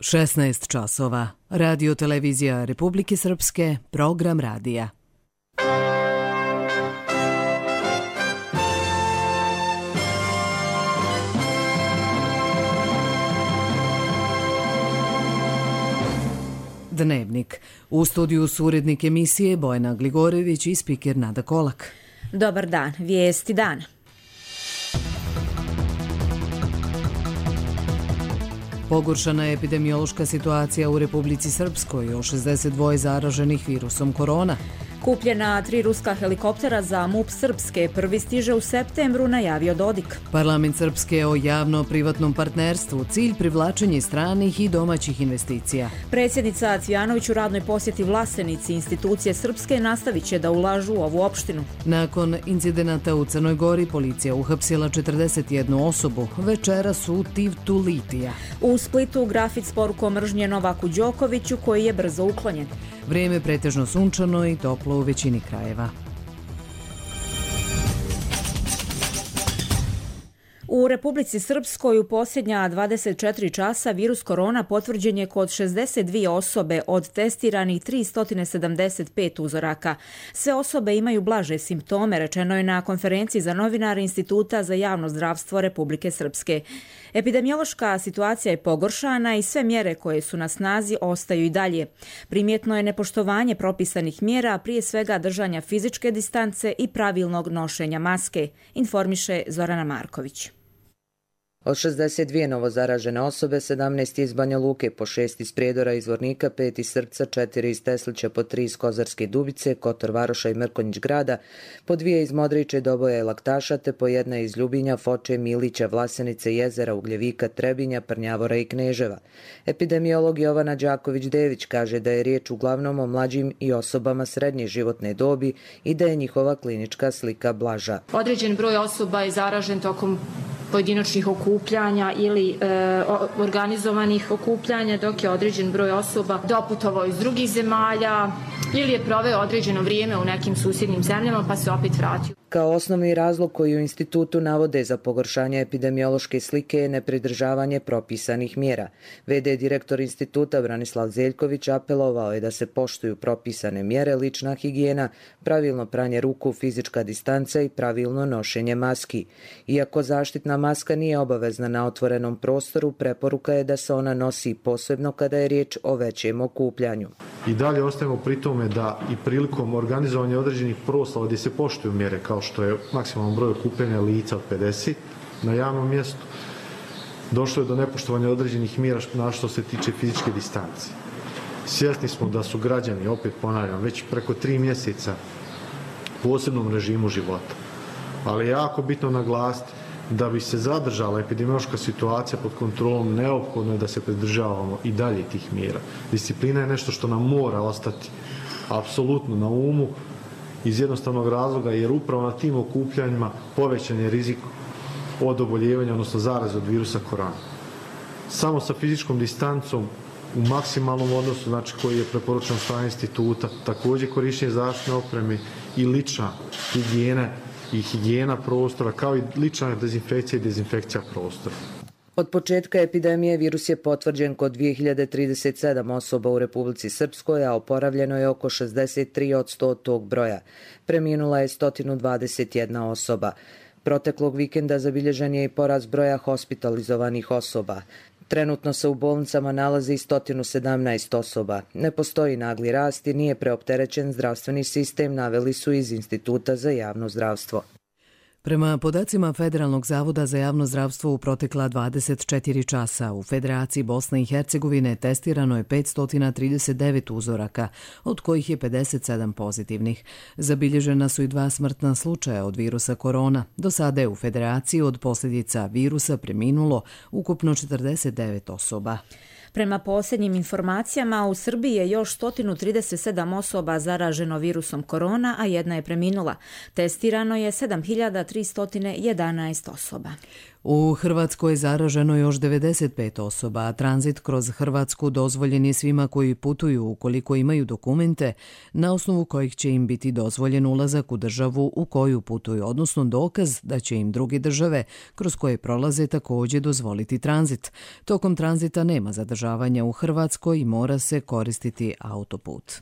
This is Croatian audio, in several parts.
16 časova. Radio televizija Republike Srpske, program radija. Dnevnik. U studiju su urednik emisije Bojana Gligorević i spiker Nada Kolak. Dobar dan, vijesti dana. Pogoršana je epidemiološka situacija u Republici Srpskoj, o 62 zaraženih virusom korona. Kupljena 3 ruska helikoptera za MUP Srpske, prvi stiže u septembru, najavio Dodik. Parlament Srpske o javno-privatnom partnerstvu, cilj privlačenje stranih i domaćih investicija. Predsjednica Cvijanović u radnoj posjeti Vlasenici, institucije Srpske nastavit će da ulažu u ovu opštinu. Nakon incidenata u Crnoj Gori, policija uhapsila 41 osobu, večeras u Tivtu litija. U Splitu grafit s porukom mržnje Novaku Đokoviću koji je brzo uklonjen. Vrijeme pretežno sunčano i toplo u većini krajeva. U Republici Srpskoj u posljednja 24 časa virus korona potvrđen je kod 62 osobe od testiranih 375 uzoraka. Sve osobe imaju blaže simptome, rečeno je na konferenciji za novinare Instituta za javno zdravstvo Republike Srpske. Epidemiološka situacija je pogoršana i sve mjere koje su na snazi ostaju i dalje. Primjetno je nepoštovanje propisanih mjera, prije svega držanja fizičke distance i pravilnog nošenja maske, informiše Zorana Marković. Od 62 novozaražene osobe, 17 iz Banja Luke, po 6 iz Prijedora i Zvornika, 5 iz Srpca, 4 iz Teslića, po 3 iz Kozarske Dubice, Kotor Varoša i Mrkonjić grada, po 2 iz Modriče, Doboja i Laktaša, te po 1 iz Ljubinja, Foče, Milića, Vlasenice, Jezera, Ugljevika, Trebinja, Prnjavora i Kneževa. Epidemiolog Jovana Đaković-Dević kaže da je riječ uglavnom o mlađim i osobama srednje životne dobi i da je njihova klinička slika blaža. Određen broj osoba je zaražen tokom pojedinačnih okupljanja ili organizovanih okupljanja, dok je određen broj osoba doputovao iz drugih zemalja ili je proveo određeno vrijeme u nekim susjednim zemljama pa se opet vratio. Kao osnovni razlog koji u institutu navode za pogoršanje epidemiološke slike je nepridržavanje propisanih mjera. VD direktor instituta Branislav Zeljković apelovao je da se poštuju propisane mjere, lična higijena, pravilno pranje ruku, fizička distanca i pravilno nošenje maski. Iako zaštitna maska nije obavezna na otvorenom prostoru, preporuka je da se ona nosi posebno kada je riječ o većem okupljanju. I dalje ostajemo pri tome da i prilikom organizovanja određenih proslava gdje se poštuju mjere kao što je maksimalan broj okupljanja lica od 50 na javnom mjestu, došlo je do nepoštovanja određenih mjera na što se tiče fizičke distance. Svjesni smo da su građani, opet ponavljam, već preko 3 mjeseca u posebnom režimu života. Ali je jako bitno naglasiti da bi se zadržala epidemiološka situacija pod kontrolom, neophodno je da se pridržavamo i dalje tih mjera. Disciplina je nešto što nam mora ostati apsolutno na umu iz jednostavnog razloga jer upravo na tim okupljanjima povećan je rizik od oboljevanja, odnosno zaraze od virusa korona. Samo sa fizičkom distancom u maksimalnom odnosu, znači koji je preporučen strane instituta, također korištenje zaštitne opreme i lična higijena i higijena prostora, kao i lična dezinfekcija i dezinfekcija prostora. Od početka epidemije virus je potvrđen kod 2037 osoba u Republici Srpskoj, a oporavljeno je oko 63% od tog broja. Preminula je 121 osoba. Proteklog vikenda zabilježen je i porast broja hospitalizovanih osoba. Trenutno se u bolnicama nalazi 117 osoba. Ne postoji nagli rast i nije preopterećen zdravstveni sistem, naveli su iz Instituta za javno zdravstvo. Prema podacima Federalnog zavoda za javno zdravstvo u protekla 24 časa u Federaciji Bosne i Hercegovine testirano je 539 uzoraka, od kojih je 57 pozitivnih. Zabilježena su i 2 smrtna slučaja od virusa korona. Do sada je u Federaciji od posljedica virusa preminulo ukupno 49 osoba. Prema posljednjim informacijama, u Srbiji je još 137 osoba zaraženo virusom korona, a jedna je preminula. Testirano je 7311 osoba. U Hrvatskoj je zaraženo još 95 osoba, a tranzit kroz Hrvatsku dozvoljen je svima koji putuju ukoliko imaju dokumente na osnovu kojih će im biti dozvoljen ulazak u državu u koju putuju, odnosno dokaz da će im druge države kroz koje prolaze također dozvoliti tranzit. Tokom tranzita nema zadržavanja u Hrvatskoj i mora se koristiti autoput.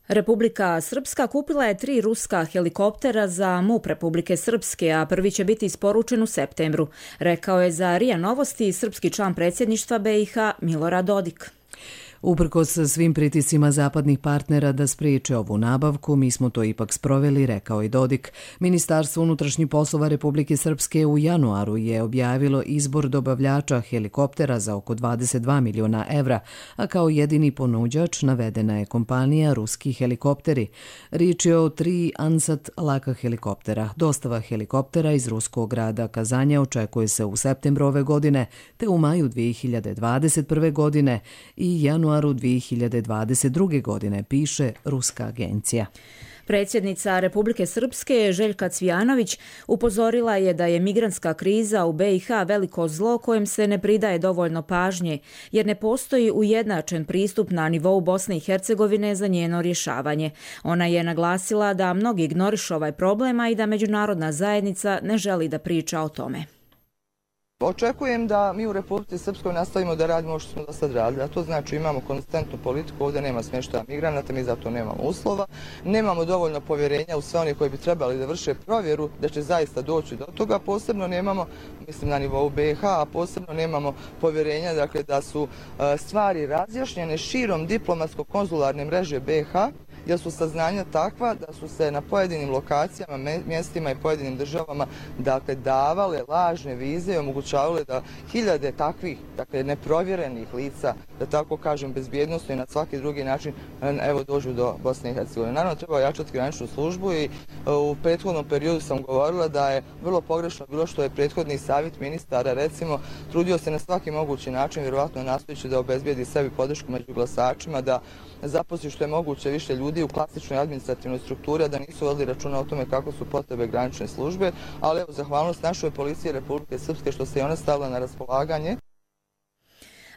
Republika Srpska kupila je 3 ruska helikoptera za MUP Republike Srpske, a prvi će biti isporučen u septembru, rekao je za RIA Novosti srpski član predsjedništva BiH Milorad Dodik. Uprkos svim pritiscima zapadnih partnera da spriječe ovu nabavku, mi smo to ipak sproveli, rekao je Dodik. Ministarstvo unutrašnjih poslova Republike Srpske u januaru je objavilo izbor dobavljača helikoptera za oko 22 miliona evra, a kao jedini ponuđač navedena je kompanija Ruski helikopteri. Riječ je o 3 Ansat laka helikoptera. Dostava helikoptera iz ruskog grada Kazanja očekuje se u septembru ove godine, te u maju 2021. godine i januaru 2022. godine, piše ruska agencija. Predsjednica Republike Srpske Željka Cvijanović upozorila je da je migrantska kriza u BiH veliko zlo kojem se ne pridaje dovoljno pažnje, jer ne postoji ujednačen pristup na nivou Bosne i Hercegovine za njeno rješavanje. Ona je naglasila da mnogi ignorišu ovaj problem, a i da međunarodna zajednica ne želi da priča o tome. Očekujem da mi u Republici Srpskoj nastavimo da radimo što smo do sad radili, a to znači imamo konstantnu politiku, ovdje nema smještaja migranata, mi zato nemamo uslova, nemamo dovoljno povjerenja u sve one koji bi trebali da vrše provjeru da će zaista doći do toga, posebno nemamo, mislim na nivou BiH, a posebno nemamo povjerenja dakle, da su stvari razjašnjene širom diplomatsko-konzularne mreže BiH, jer su saznanja takva da su se na pojedinim lokacijama, mjestima i pojedinim državama dakle, davale lažne vize i omogućavale da hiljade takvih neprovjerenih lica, da tako kažem bezbjednosno i na svaki drugi način dođu do Bosne i Hercegovine. Naravno treba ojačati graničnu službu i u prethodnom periodu sam govorila da je vrlo pogrešno bilo što je prethodni savjet ministara recimo trudio se na svaki mogući način, vjerovatno nastojeći da obezbijedi sebi podršku među glasačima, da zaposli što je moguće više ljudi u klasičnoj administrativnoj strukturi, a da nisu vodili računa o tome kako su potrebe granične službe, ali evo zahvalnost našoj policiji Republike Srpske što se i ona stavila na raspolaganje.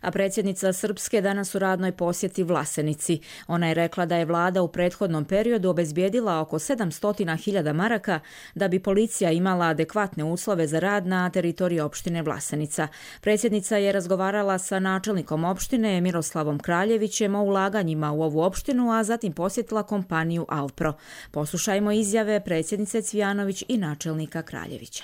A predsjednica Srpske danas u radnoj posjeti Vlasenici. Ona je rekla da je vlada u prethodnom periodu obezbijedila oko 700.000 maraka da bi policija imala adekvatne uslove za rad na teritoriji opštine Vlasenica. Predsjednica je razgovarala sa načelnikom opštine Miroslavom Kraljevićem o ulaganjima u ovu opštinu, a zatim posjetila kompaniju Alpro. Poslušajmo izjave predsjednice Cvijanović i načelnika Kraljevića.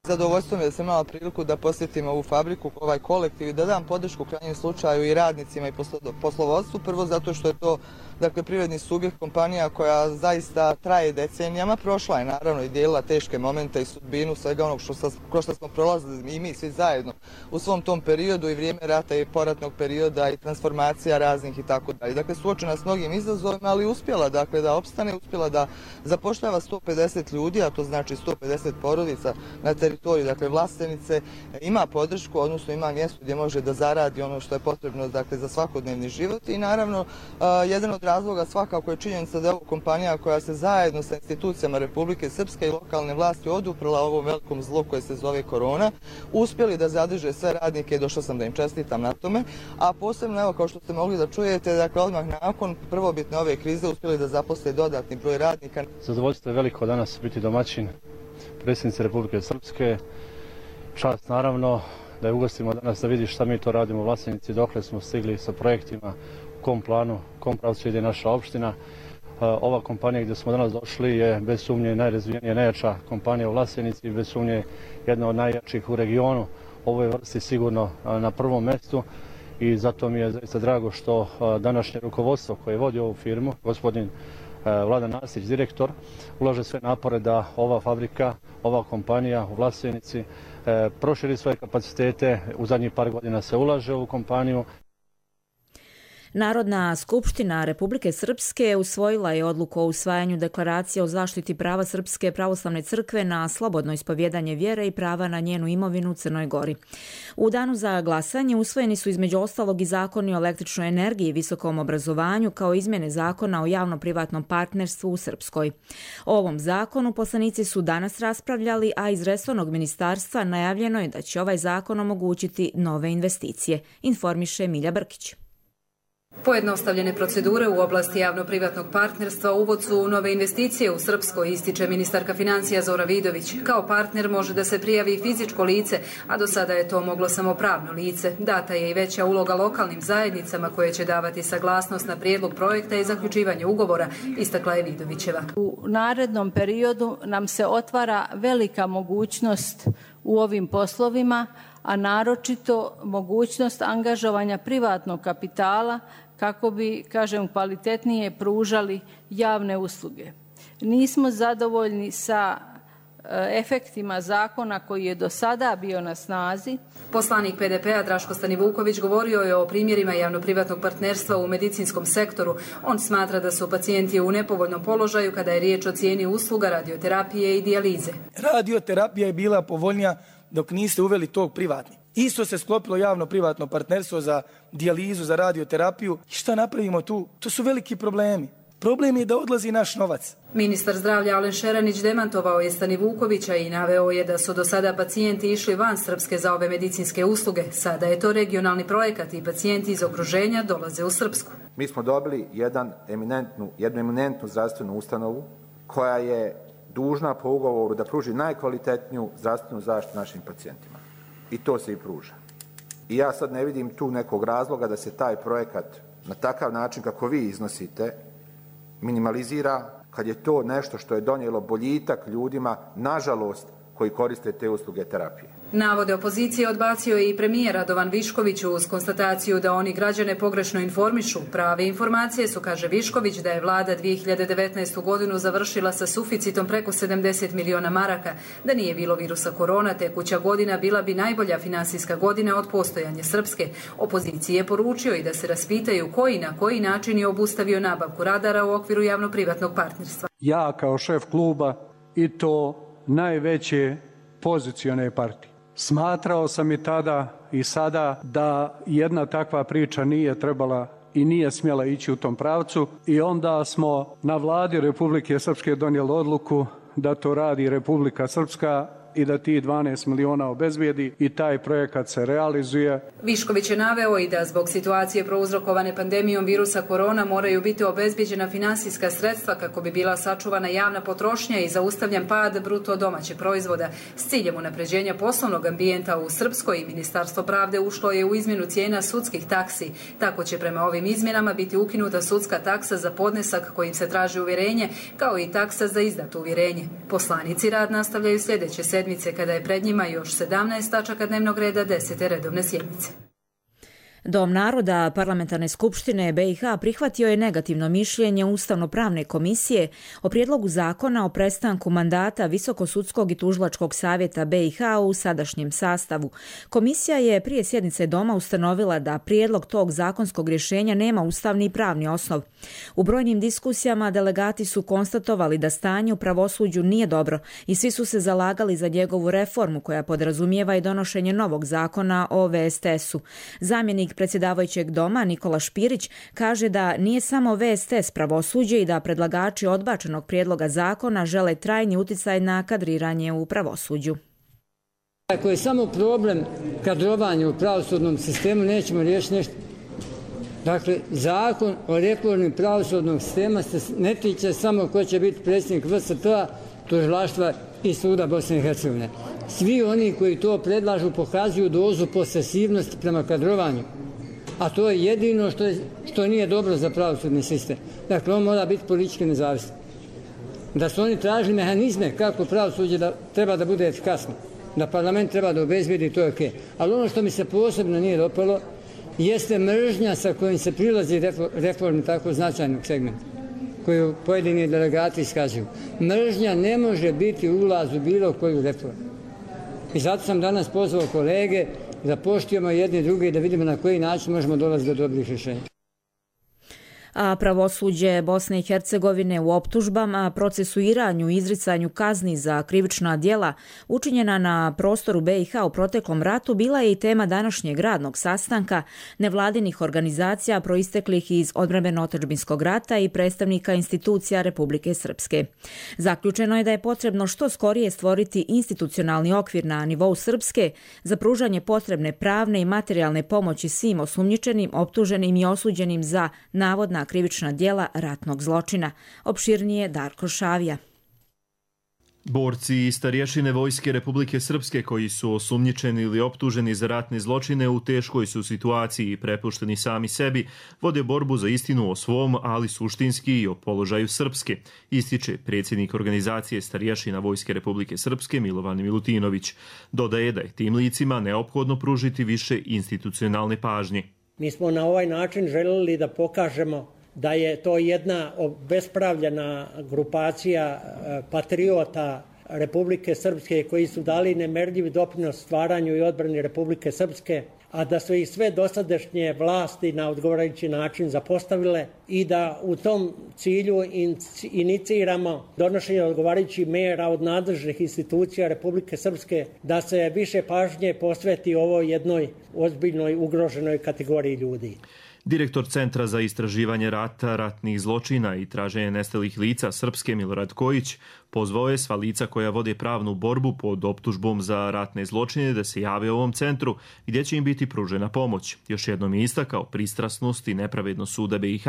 Zadovoljstvo mi je da sam imala priliku da posjetim ovu fabriku, ovaj kolektiv i da dam podršku u krajnjem slučaju i radnicima i poslovodstvu. Prvo zato što je to privredni subjekt, kompanija koja zaista traje decenijama. Prošla je naravno i dijelila teške momente i sudbinu svega onog kroz što smo prolazili i mi svi zajedno u svom tom periodu i vrijeme rata i poratnog perioda i transformacija raznih i tako dalje. Dakle, suočena s mnogim izazovima, ali uspjela da opstane, uspjela da zapošljava 150 ljudi, a to znači 150 porodica na teritoriju Vlasenice, ima podršku, odnosno ima mjesto gdje može da zaradi ono što je potrebno za svakodnevni život i naravno jedan od razloga svakako je činjenica da je ovo kompanija koja se zajedno sa institucijama Republike Srpske i lokalne vlasti oduprla ovom velikom zlu koje se zove korona, uspjeli da zadrže sve radnike i došao sam da im čestitam na tome, a posebno evo kao što ste mogli da čujete, odmah nakon prvobitne ove krize uspjeli da zaposle dodatni broj radnika. Zadovoljstvo je veliko danas biti domaćin predsjednice Republike Srpske. Čast naravno da je ugostimo danas da vidi šta mi to radimo u Vlasenici, dokle smo stigli sa projektima, u kom planu, u kom pravcu ide naša opština. Ova kompanija gdje smo danas došli je bez sumnje najrazvijenija, najjača kompanija u Vlasenici i bez sumnje jedna od najjačih u regionu. Ovoj vrsti sigurno na prvom mjestu i zato mi je zaista drago što današnje rukovodstvo koje vodi ovu firmu, gospodin Vladan Nasić, direktor, ulaže sve napore da ova fabrika, ova kompanija u Vlasenici proširi svoje kapacitete. U zadnjih par godina se ulaže u kompaniju. Narodna skupština Republike Srpske usvojila je odluku o usvajanju deklaracije o zaštiti prava Srpske pravoslavne crkve na slobodno ispovjedanje vjere i prava na njenu imovinu u Crnoj Gori. U danu za glasanje usvojeni su između ostalog i zakoni o električnoj energiji i visokom obrazovanju kao izmjene zakona o javno-privatnom partnerstvu u Srpskoj. O ovom zakonu poslanici su danas raspravljali, a iz resornog ministarstva najavljeno je da će ovaj zakon omogućiti nove investicije, informiše Milja Brkić. Pojednostavljene procedure u oblasti javno-privatnog partnerstva uvod su u nove investicije u Srpskoj, ističe ministarka financija Zora Vidović. Kao partner može da se prijavi fizičko lice, a do sada je to moglo samo pravno lice. Data je i veća uloga lokalnim zajednicama koje će davati saglasnost na prijedlog projekta i zaključivanje ugovora, istakla je Vidovićeva. U narednom periodu nam se otvara velika mogućnost u ovim poslovima, a naročito mogućnost angažovanja privatnog kapitala kako bi, kvalitetnije pružali javne usluge. Nismo zadovoljni sa efektima zakona koji je do sada bio na snazi. Poslanik PDP-a Draško Stanivuković govorio je o primjerima javno-privatnog partnerstva u medicinskom sektoru. On smatra da su pacijenti u nepovoljnom položaju kada je riječ o cijeni usluga radioterapije i dijalize. Radioterapija je bila povoljnija dok niste uveli tog privatni. Isto se sklopilo javno-privatno partnerstvo za dijalizu, za radioterapiju. I šta napravimo tu? To su veliki problemi. Problem je da odlazi naš novac. Ministar zdravlja Alen Šeranić demantovao je Stanivukovića i naveo je da su do sada pacijenti išli van Srpske za ove medicinske usluge. Sada je to regionalni projekat i pacijenti iz okruženja dolaze u Srpsku. Mi smo dobili jednu eminentnu zdravstvenu ustanovu koja je dužna po ugovoru da pruži najkvalitetniju zdravstvenu zaštitu našim pacijentima. I to se i pruža. I ja sad ne vidim tu nekog razloga da se taj projekat na takav način kako vi iznosite minimalizira, kad je to nešto što je donijelo boljitak ljudima, nažalost, koji koriste te usluge terapije. Navode opozicije odbacio je i premijer Radovan Višković uz konstataciju da oni građane pogrešno informišu. Prave informacije su, kaže Višković, da je vlada 2019. godinu završila sa suficitom preko 70 miliona maraka. Da nije bilo virusa korona, tekuća godina bila bi najbolja finansijska godina od postojanja Srpske. Opoziciji je poručio i da se raspitaju koji na koji način je obustavio nabavku radara u okviru javno-privatnog partnerstva. Ja kao šef kluba i to najveće pozicione partije. Smatrao sam i tada i sada da jedna takva priča nije trebala i nije smjela ići u tom pravcu i onda smo na vladi Republike Srpske donijeli odluku da to radi Republika Srpska i da ti 12 miliona obezbijedi i taj projekat se realizuje. Višković je naveo i da zbog situacije prouzrokovane pandemijom virusa korona moraju biti obezbijeđena finansijska sredstva kako bi bila sačuvana javna potrošnja i zaustavljen pad bruto domaćeg proizvoda. S ciljem unapređenja poslovnog ambijenta u Srpskoj i Ministarstvo pravde ušlo je u izmjenu cijena sudskih taksi. Tako će prema ovim izmjenama biti ukinuta sudska taksa za podnesak kojim se traži uvjerenje, kao i taksa za izdato uvjerenje. Poslanici rad nastavljaju sljedeće sedmice kada je pred njima još 17 tačaka dnevnog reda 10. redovne sjednice. Dom naroda Parlamentarne skupštine BiH prihvatio je negativno mišljenje Ustavno-pravne komisije o prijedlogu zakona o prestanku mandata Visokosudskog i tužilačkog savjeta BiH u sadašnjem sastavu. Komisija je prije sjednice Doma ustanovila da prijedlog tog zakonskog rješenja nema ustavni i pravni osnov. U brojnim diskusijama delegati su konstatovali da stanje u pravosuđu nije dobro i svi su se zalagali za njegovu reformu koja podrazumijeva i donošenje novog zakona o VSTS-u. Zamjenik predsjedavajućeg doma Nikola Špirić kaže da nije samo VSTS pravosuđe i da predlagači odbačenog prijedloga zakona žele trajni uticaj na kadriranje u pravosuđu. Ako je samo problem kadrovanja u pravosudnom sistemu, nećemo riješiti nešto. Dakle, zakon o reformi pravosudnog sistema se ne tiče samo ko će biti predsjednik VSP-a, tužilaštva i suda Bosne i Hercegovine. Svi oni koji to predlažu pokazuju dozu posesivnosti prema kadrovanju. A to je jedino što nije dobro za pravosudni sistem. Dakle, on mora biti politički nezavistan. Da su oni tražili mehanizme kako pravosuđe treba da bude efikasno, da parlament treba da obezbijedi, to je okej. Ali ono što mi se posebno nije dopalo jeste mržnja sa kojim se prilazi reformi tako značajnog segmenta, koju pojedini delegati iskazuju. Mržnja ne može biti ulaz u bilo koju reformu. I zato sam danas pozvao kolege da poštujemo jedni druge i da vidimo na koji način možemo dolaziti do dobrih rješenja. A pravosuđe Bosne i Hercegovine u optužbama, procesuiranju i izricanju kazni za krivična djela učinjena na prostoru BiH u proteklom ratu bila je i tema današnjeg radnog sastanka nevladinih organizacija proisteklih iz odbrambeno-otadžbinskog rata i predstavnika institucija Republike Srpske. Zaključeno je da je potrebno što skorije stvoriti institucionalni okvir na nivou Srpske za pružanje potrebne pravne i materijalne pomoći svim osumnjičenim, optuženim i osuđenim za navodna krivična djela ratnog zločina. Opširnije Darko Šavija. Borci i starješine Vojske Republike Srpske koji su osumnjičeni ili optuženi za ratne zločine u teškoj su situaciji i prepušteni sami sebi, vode borbu za istinu o svom, ali suštinski i o položaju Srpske, ističe predsjednik organizacije starješina Vojske Republike Srpske Milovan Milutinović. Dodaje da je tim licima neophodno pružiti više institucionalne pažnje. Mi smo na ovaj način želeli da pokažemo da je to jedna obespravljena grupacija patriota Republike Srpske koji su dali nemerljiv doprinos stvaranju i odbrani Republike Srpske, a da su ih sve dosadašnje vlasti na odgovarajući način zapostavile i da u tom cilju iniciramo donošenje odgovarajućih mjera od nadležnih institucija Republike Srpske da se više pažnje posveti ovoj jednoj ozbiljnoj ugroženoj kategoriji ljudi. Direktor Centra za istraživanje rata, ratnih zločina i traženje nestalih lica Srpske Milorad Kojić pozvao je sva lica koja vode pravnu borbu pod optužbom za ratne zločine da se jave u ovom centru gdje će im biti pružena pomoć. Još jednom je istakao pristrasnost i nepravednost suda BiH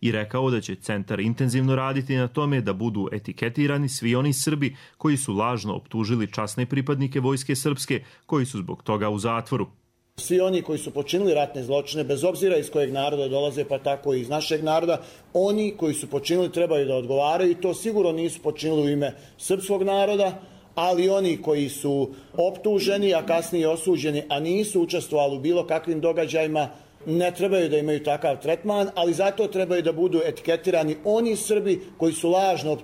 i rekao da će centar intenzivno raditi na tome da budu etiketirani svi oni Srbi koji su lažno optužili časne pripadnike Vojske Srpske koji su zbog toga u zatvoru. Svi oni koji su počinili ratne zločine, bez obzira iz kojeg naroda dolaze, pa tako i iz našeg naroda, oni koji su počinili trebaju da odgovaraju i to sigurno nisu počinili u ime srpskog naroda, ali oni koji su optuženi, a kasnije osuđeni, a nisu učestvovali u bilo kakvim događajima, ne trebaju da imaju takav tretman, ali zato trebaju da budu etiketirani oni Srbi koji su lažno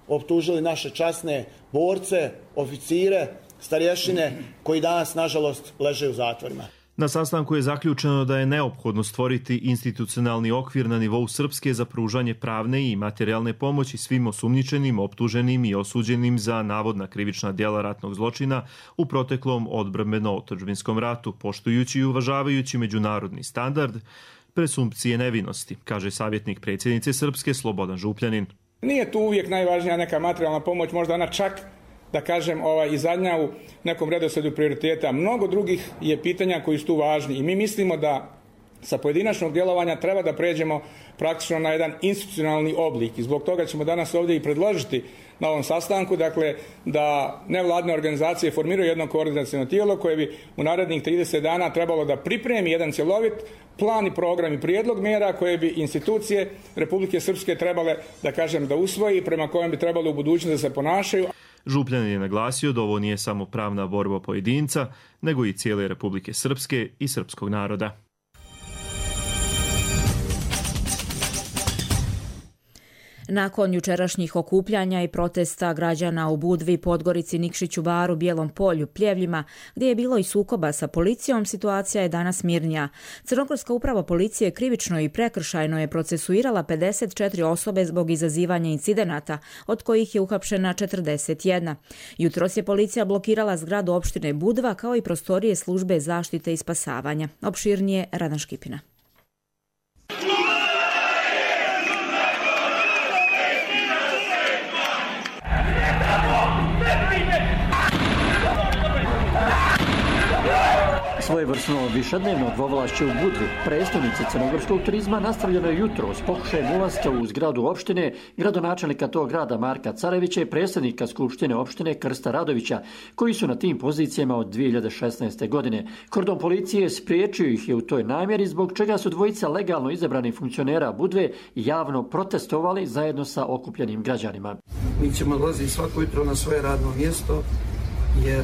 optužili naše časne borce, oficire, starješine koji danas, nažalost, leže u zatvorima. Na sastanku je zaključeno da je neophodno stvoriti institucionalni okvir na nivou Srpske za pružanje pravne i materijalne pomoći svim osumnjičenim, optuženim i osuđenim za navodna krivična djela ratnog zločina u proteklom odbrambeno-otadžbinskom ratu, poštujući i uvažavajući međunarodni standard presumpcije nevinosti, kaže savjetnik predsjednice Srpske Slobodan Župljanin. Nije tu uvijek najvažnija neka materijalna pomoć, možda ona čak da kažem i zadnja u nekom redoslijedu prioriteta. Mnogo drugih je pitanja koji su tu važni i mi mislimo da sa pojedinačnog djelovanja treba da pređemo praktično na jedan institucionalni oblik i zbog toga ćemo danas ovdje i predložiti na ovom sastanku, dakle, da nevladine organizacije formiraju jedno koordinaciono tijelo koje bi u narednih 30 dana trebalo da pripremi jedan cjelovit plan i program i prijedlog mjera koje bi institucije Republike Srpske trebale, da kažem, da usvoji, prema kojem bi trebalo u budućnosti da se ponašaju. Župljanin je naglasio da ovo nije samo pravna borba pojedinca, nego i cijele Republike Srpske i srpskog naroda. Nakon jučerašnjih okupljanja i protesta građana u Budvi, Podgorici, Nikšiću, Baru, Bijelom polju, Pljevljima, gdje je bilo i sukoba sa policijom, situacija je danas mirnija. Crnogorska uprava policije krivično i prekršajno je procesuirala 54 osobe zbog izazivanja incidenata, od kojih je uhapšena 41. Jutros je policija blokirala zgradu opštine Budva kao i prostorije službe zaštite i spasavanja. Opširnije Radan Škipina. Svojevrsno višednevno dvovlašće u Budvi, prestonici crnogorskog turizma, nastavljeno je jutro s pokušajem ulaska u zgradu opštine, gradonačelnika tog grada Marka Carevića i predsjednika Skupštine opštine Krsta Radovića, koji su na tim pozicijama od 2016. godine. Kordon policije spriječio ih je u toj namjeri, zbog čega su dvojica legalno izabranih funkcionera Budve javno protestovali zajedno sa okupljenim građanima. Mi ćemo odlaziti svako jutro na svoje radno mjesto, jer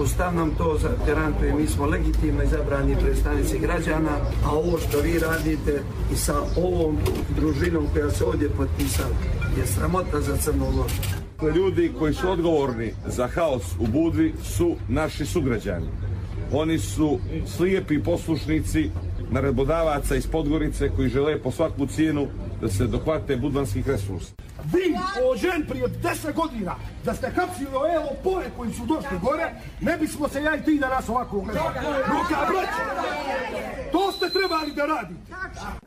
Ustav nam to garantuje, mi smo legitimno izabrani predstavnici građana, a ovo što vi radite i sa ovom družinom koja se ovdje potpisala je sramota za Crnu Goru. Ljudi koji su odgovorni za haos u Budvi su naši sugrađani. Oni su slijepi poslušnici naredbodavaca iz Podgorice koji žele po svaku cijenu da se dohvate budvanskih resursa. Vi, ođen prije 10 godina, da ste hapsili lopove koji su došli gore, ne bismo se ja i ti danas ovako gledali. To ste trebali da radite.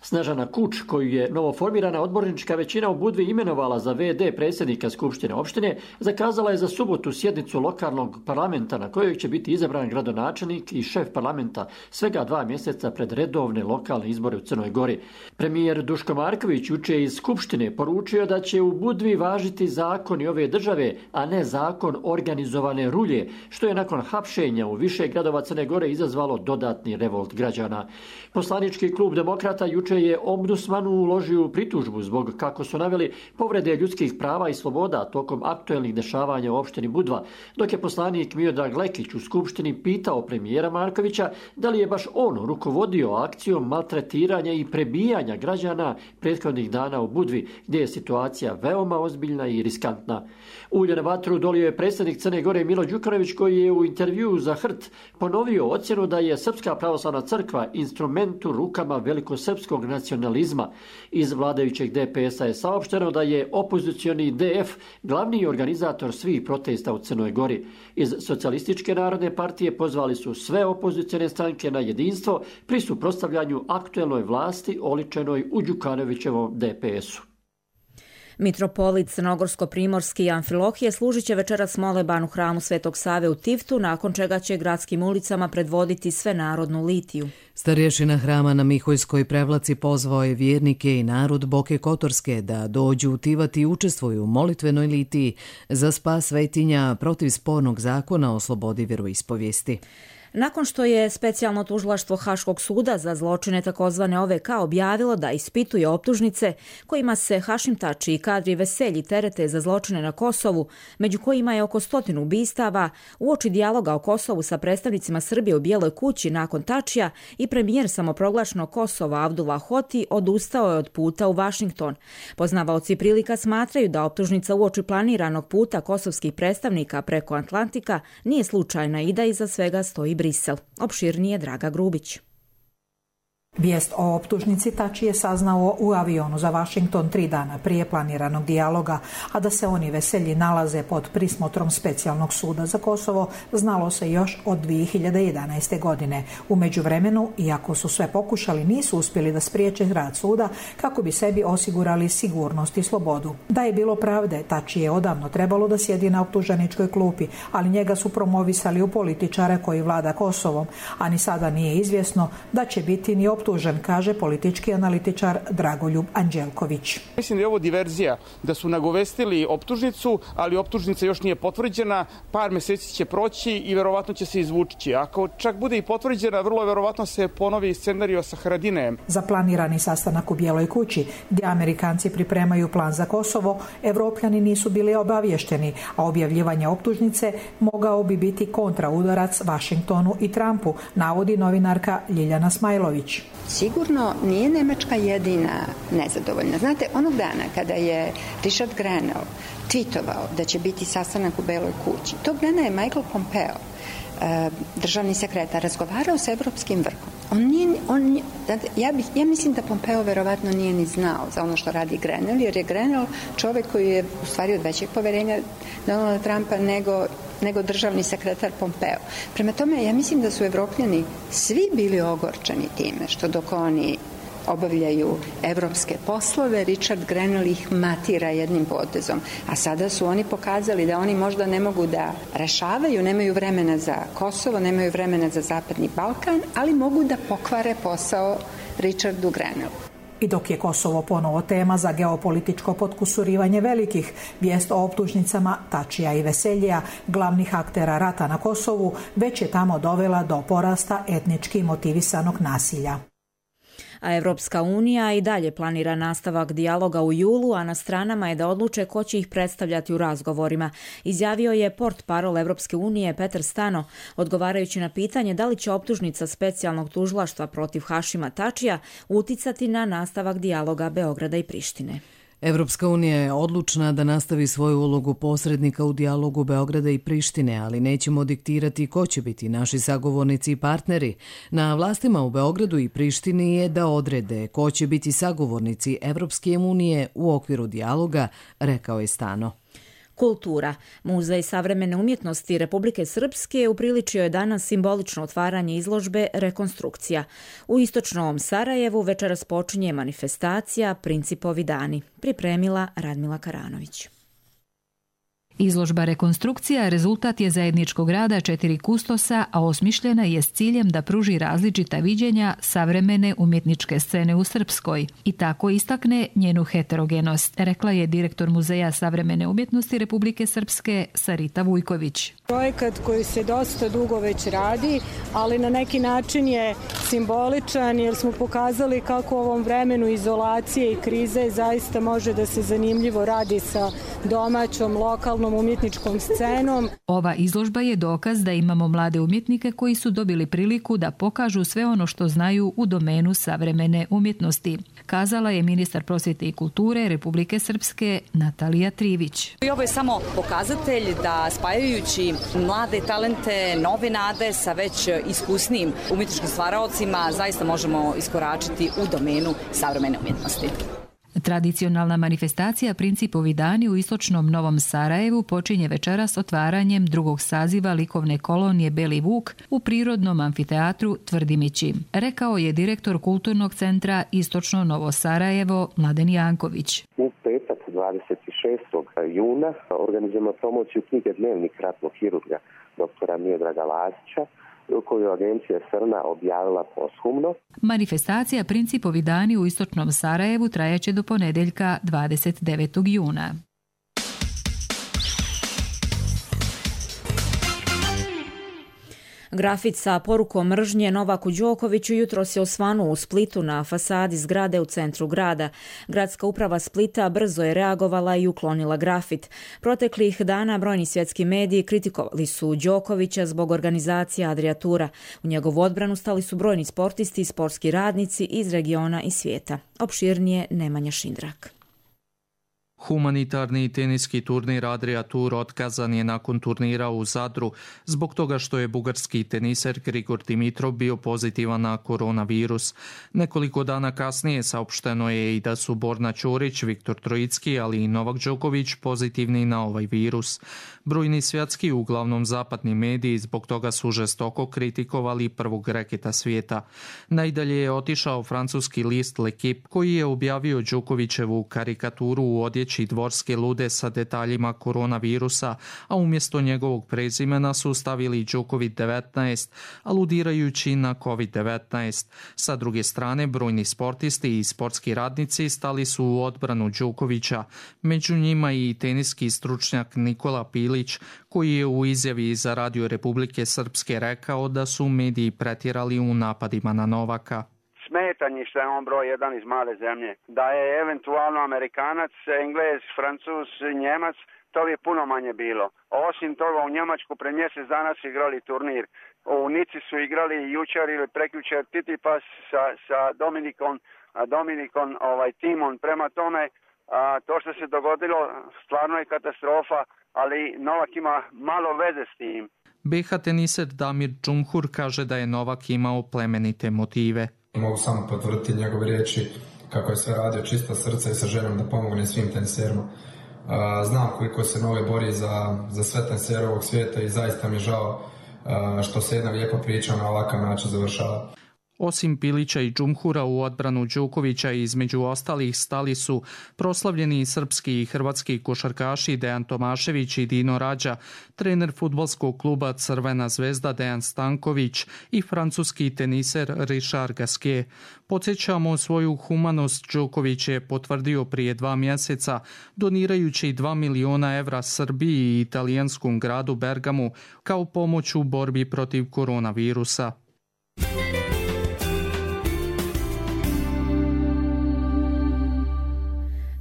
Snežana Kuč, koju je novoformirana odbornička većina u Budvi imenovala za VD predsjednika Skupštine opštine, zakazala je za subotu sjednicu lokalnog parlamenta na kojoj će biti izabran gradonačelnik i šef parlamenta svega 2 mjeseca pred redovne lokalne izbore u Crnoj Gori. Premijer Duško Marković juče iz Skupštine poručio da će u Budvi važiti zakoni ove države, a ne zakon organizovane rulje, što je nakon hapšenja u više gradova Crne Gore izazvalo dodatni revolt građana. Poslanički klub Demokrata juče je ombudsmanu uložio pritužbu zbog, kako su naveli, povrede ljudskih prava i sloboda tokom aktuelnih dešavanja u opštini Budva, dok je poslanik Miodrag Lekić u Skupštini pitao premijera Markovića da li je baš on rukovodio akcijom maltretiranja i prebijanja građana prethodnih dana u Budvi, gdje je situacija veoma ozbiljna i riskantna. Ulje na vatru dolio je predsjednik Crne Gore Milo Đukanović, koji je u intervjuu za Hrt ponovio ocjenu da je Srpska pravoslavna crkva instrument u rukama velikosrpskog nacionalizma. Iz vladajućeg DPS-a je saopšteno da je opozicioni DF glavni organizator svih protesta u Crnoj Gori. Iz Socijalističke narodne partije pozvali su sve opozicione stranke na jedinstvo pri suprotstavljanju aktuelnoj vlasti oličenoj u Đukanovićevom DPS-u. Mitropolit Crnogorsko-primorski Amfilohije služit će večeras moleban u hramu Svetog Save u Tiftu, nakon čega će gradskim ulicama predvoditi svenarodnu litiju. Starješina hrama na Miholjskoj prevlaci pozvao je vjernike i narod Boke Kotorske da dođu u Tivat i učestvuju u molitvenoj litiji za spas svetinja protiv spornog zakona o slobodi vjeroispovijesti. Nakon što je specijalno tužilaštvo Haškog suda za zločine takozvane OVK objavilo da ispituje optužnice kojima se Hašim Tači i Kadri Veselji terete za zločine na Kosovu, među kojima je oko 100 ubistava, uoči dijaloga o Kosovu sa predstavnicima Srbije u Bijeloj kući nakon Tačija i premijer samoproglašenog Kosova Abdullah Hoti odustao je od puta u Vašington. Poznavaoci prilika smatraju da optužnica uoči planiranog puta kosovskih predstavnika preko Atlantika nije slučajna i da iza svega stoji Brisel. Opširnije Draga Grubić. Vijest o optužnici Tači je saznao u avionu za Washington 3 dana prije planiranog dijaloga, a da se oni Veselji nalaze pod prismotrom specijalnog suda za Kosovo znalo se još od 2011. godine. U međuvremenu, iako su sve pokušali, nisu uspjeli da spriječe rad suda kako bi sebi osigurali sigurnost i slobodu. Da je bilo pravde, Tači je odavno trebalo da sjedi na optuženičkoj klupi, ali njega su promovisali u političare koji vlada Kosovom, a ni sada nije izvjesno da će biti ni optužen, kaže politički analitičar Dragoljub Anđelković. Mislim da je ovo diverzija, da su nagovestili optužnicu, ali optužnica još nije potvrđena, par mjeseci će proći i verovatno će se izvući. Ako čak bude i potvrđena, vrlo verovatno se ponovi scenario sa Haradinajem. Za planirani sastanak u Bijeloj kući, gdje Amerikanci pripremaju plan za Kosovo, Evropljani nisu bili obavješteni, a objavljivanje optužnice mogao bi biti kontraudarac Vašingtonu i Trumpu, navodi novinarka Ljiljana Smajlović. Sigurno nije Nemačka jedina nezadovoljna. Znate, onog dana kada je Richard Grenell tweetovao da će biti sastanak u Beloj kući, tog dana je Michael Pompeo, državni sekretar, razgovarao sa evropskim vrhom. Ja mislim da Pompeo verovatno nije ni znao za ono što radi Grenell, jer je Grenell čovjek koji je u stvari od većeg poverenja Donalda Trumpa nego državni sekretar Pompeo. Prema tome, ja mislim da su Evropljani svi bili ogorčeni time što dok oni obavljaju evropske poslove, Richard Grenell ih matira jednim potezom. A sada su oni pokazali da oni možda ne mogu da rešavaju, nemaju vremena za Kosovo, nemaju vremena za Zapadni Balkan, ali mogu da pokvare posao Richardu Grenellu. I dok je Kosovo ponovo tema za geopolitičko potkusurivanje velikih, vijest o optužnicama Tačija i Veseljija, glavnih aktera rata na Kosovu, već je tamo dovela do porasta etnički motivisanog nasilja. A Evropska unija i dalje planira nastavak dijaloga u julu, a na stranama je da odluče ko će ih predstavljati u razgovorima, izjavio je portparol Evropske unije Petar Stano, odgovarajući na pitanje da li će optužnica specijalnog tužilaštva protiv Hašima Tačija uticati na nastavak dijaloga Beograda i Prištine. Evropska unija je odlučna da nastavi svoju ulogu posrednika u dijalogu Beograda i Prištine, ali nećemo diktirati ko će biti naši sagovornici i partneri. Na vlastima u Beogradu i Prištini je da odrede ko će biti sagovornici Evropske unije u okviru dijaloga, rekao je Stano. Kultura. Muzej savremene umjetnosti Republike Srpske upriličio je danas simbolično otvaranje izložbe Rekonstrukcija. U istočnom Sarajevu večeras počinje manifestacija Principovi dani. Pripremila Radmila Karanović. Izložba Rekonstrukcija rezultat je zajedničkog rada 4 kustosa, a osmišljena je s ciljem da pruži različita viđenja savremene umjetničke scene u Srpskoj i tako istakne njenu heterogenost, rekla je direktor Muzeja savremene umjetnosti Republike Srpske Sarita Vujković. Projekat koji se dosta dugo već radi, ali na neki način je simboličan jer smo pokazali kako u ovom vremenu izolacije i krize zaista može da se zanimljivo radi sa domaćom, lokalnom umjetničkom scenom. Ova izložba je dokaz da imamo mlade umjetnike koji su dobili priliku da pokažu sve ono što znaju u domenu savremene umjetnosti, kazala je ministar prosvjete i kulture Republike Srpske Natalija Trivić. I ovo je samo pokazatelj da spajajući mlade talente, nove nade sa već iskusnim umjetničkim stvaraocima zaista možemo iskoračiti u domenu savremene umjetnosti. Tradicionalna manifestacija Principovi dani u istočnom Novom Sarajevu počinje večeras otvaranjem drugog saziva likovne kolonije Beli Vuk u prirodnom amfiteatru Tvrdimići, rekao je direktor Kulturnog centra Istočno Novo Sarajevo Mladen Janković. U petak 26. juna organizujemo promociju knjige Dnevnik ratnog hirurga doktora Miodraga Lazića, koju je agencija Srna objavila poshumno. Manifestacija Principovi dani u istočnom Sarajevu trajaće do ponedjeljka 29. juna. Grafit sa porukom mržnje Novaku Đokoviću jutros je osvanuo u Splitu na fasadi zgrade u centru grada. Gradska uprava Splita brzo je reagovala i uklonila grafit. Proteklih dana brojni svjetski mediji kritikovali su Đokovića zbog organizacije Adriatura. U njegovu odbranu stali su brojni sportisti i sportski radnici iz regiona i svijeta. Opširnije Nemanja Šindrak. Humanitarni teniski turnir Adria Tour otkazan je nakon turnira u Zadru zbog toga što je bugarski teniser Grigor Dimitrov bio pozitivan na koronavirus. Nekoliko dana kasnije saopšteno je i da su Borna Ćorić, Viktor Trojicki, ali i Novak Đoković pozitivni na ovaj virus. Brojni svjetski, uglavnom zapadni mediji, zbog toga su žestoko kritikovali prvog reketa svijeta. Najdalje je otišao francuski list L'Equipe koji je objavio Đokovićevu karikaturu u odjeći dvorske lude sa detaljima koronavirusa, a umjesto njegovog prezimena su stavili Đoković-19, aludirajući na COVID-19. Sa druge strane, brojni sportisti i sportski radnici stali su u odbranu Đokovića, među njima i teniski stručnjak Nikola Pilić, koji je u izjavi za Radio Republike Srpske rekao da su mediji pretjerali u napadima na Novaka. Smetanje što je on broj jedan iz male zemlje. Da je eventualno Amerikanac, Englez, Francuz, Njemac, to bi puno manje bilo. Osim toga u Njemačku pre mjesec dana su igrali turnir. U Nici su igrali jučer ili prekjučer Titipas sa Dominikom timom. Prema tome, to što se dogodilo stvarno je katastrofa, ali Novak ima malo veze s tim. BH teniser Damir Džumhur kaže da je Novak imao plemenite motive. Mogu samo potvrditi njegove riječi kako je sve radio čista srca i sa željom da pomogne svim teniserima. Znam koliko se Nove bori za sve tenisere ovog svijeta i zaista mi je žao što se jedna lijepa priča na ovakav način završava. Osim Pilića i Džumhura u odbranu Đokovića između ostalih stali su proslavljeni srpski i hrvatski košarkaši Dejan Tomašević i Dino Rađa, trener fudbalskog kluba Crvena zvezda Dejan Stanković i francuski teniser Richard Gasquet. Podsjećamo, svoju humanost Đoković je potvrdio prije 2 mjeseca donirajući 2 miliona evra Srbiji i italijanskom gradu Bergamu kao pomoć u borbi protiv koronavirusa.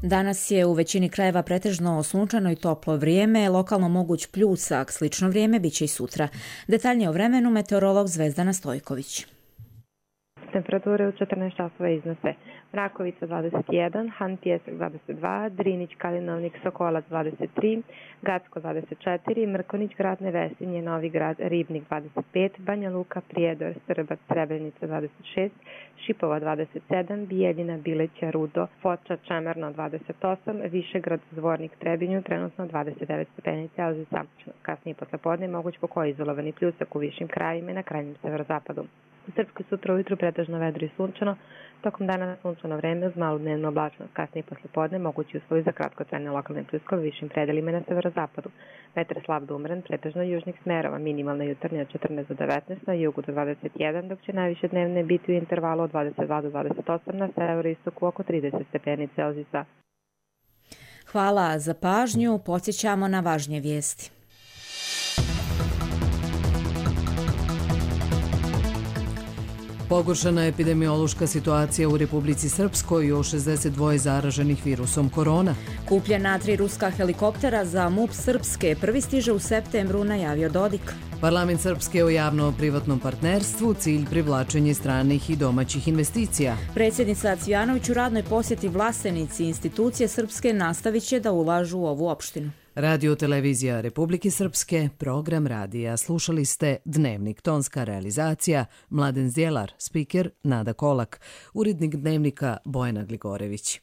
Danas je u većini krajeva pretežno sunčano i toplo vrijeme, lokalno moguć pljusak, slično vrijeme biće i sutra. Detaljnije o vremenu meteorolog Zvezdana Stojković. Temperature u 14 časova iznose Mrakovica 21, Han Pjesak 22, Drinić, Kalinovnik, Sokolac 23, Gacko 24, Mrkonić, Grad Nevesinje, Novi Grad, Ribnik 25, Banja Luka, Prijedor, Srbac, Srebrenica 26, Šipova 27, Bijeljina, Bileća, Rudo, Foča, Čemerno 28, Višegrad, Zvornik, Trebinju, trenutno 29 stepeni Celzijusa. Kasnije poslepodne moguć pokoj izolovani pljusak u višim krajima i na krajnjem severozapadu. U Srpskoj sutra ujutru pretežno vedro i sunčano, tokom dana sunčano vreme uz malu dnevnu oblačnost, kasnije poslepodne mogući uslovi za kratkotrajne lokalne pljuskove u višim predelima na severozapadu. Vetar slab do umeren, pretežno južnih smerova, minimalna jutarnja od 14 do 19, na jugu do 21, dok će najviše dnevne biti u intervalu od 22 do 28, na severoistoku oko 30 stepeni Celzijusa. Hvala za pažnju, podsjećamo na važnije vijesti. Pogoršana je epidemiološka situacija u Republici Srpskoj o 62 zaraženih virusom korona. Kupljena 3 ruska helikoptera za MUP Srpske prvi stiže u septembru, najavio Dodik. Parlament Srpske o javno-privatnom partnerstvu, cilj privlačenje stranih i domaćih investicija. Predsjednica Cvijanović u radnoj posjeti Vlasenici institucije Srpske nastavit će da ulažu u ovu opštinu. Radio televizija Republike Srpske, program radija. Slušali ste Dnevnik, tonska realizacija, Mladen Zjelar, spiker Nada Kolak, urednik Dnevnika Bojana Gligorević.